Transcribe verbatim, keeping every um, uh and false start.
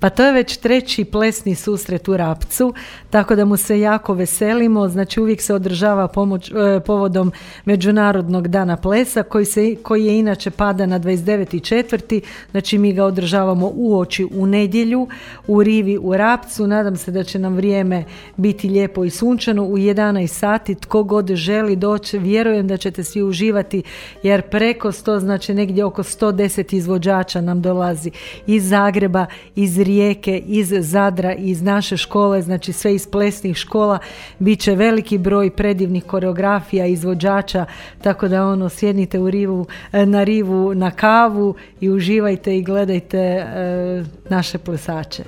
Pa to je već treći plesni susret u Rapcu, tako da mu se jako veselimo. Znači uvijek se održava pomoć, e, povodom Međunarodnog dana plesa koji, se, koji je inače pada na dvadeset deveti četvrti Znači mi ga održavamo uoči u nedjelju u rivi u Rapcu. Nadam se da će nam vrijeme biti lijepo i sunčano u jedanaest sati. Tko god želi doći, vjerujem da ćete svi uživati jer preko sto, znači negdje oko sto deset izvođača nam dolazi iz Zagreba, iz Rijeke, iz Zadra, iz naše škole, znači sve iz plesnih škola. Biće veliki broj predivnih koreografija, izvođača, tako da ono sjednite u rivu, na rivu na kavu i uživajte i gledajte e, naše plesače.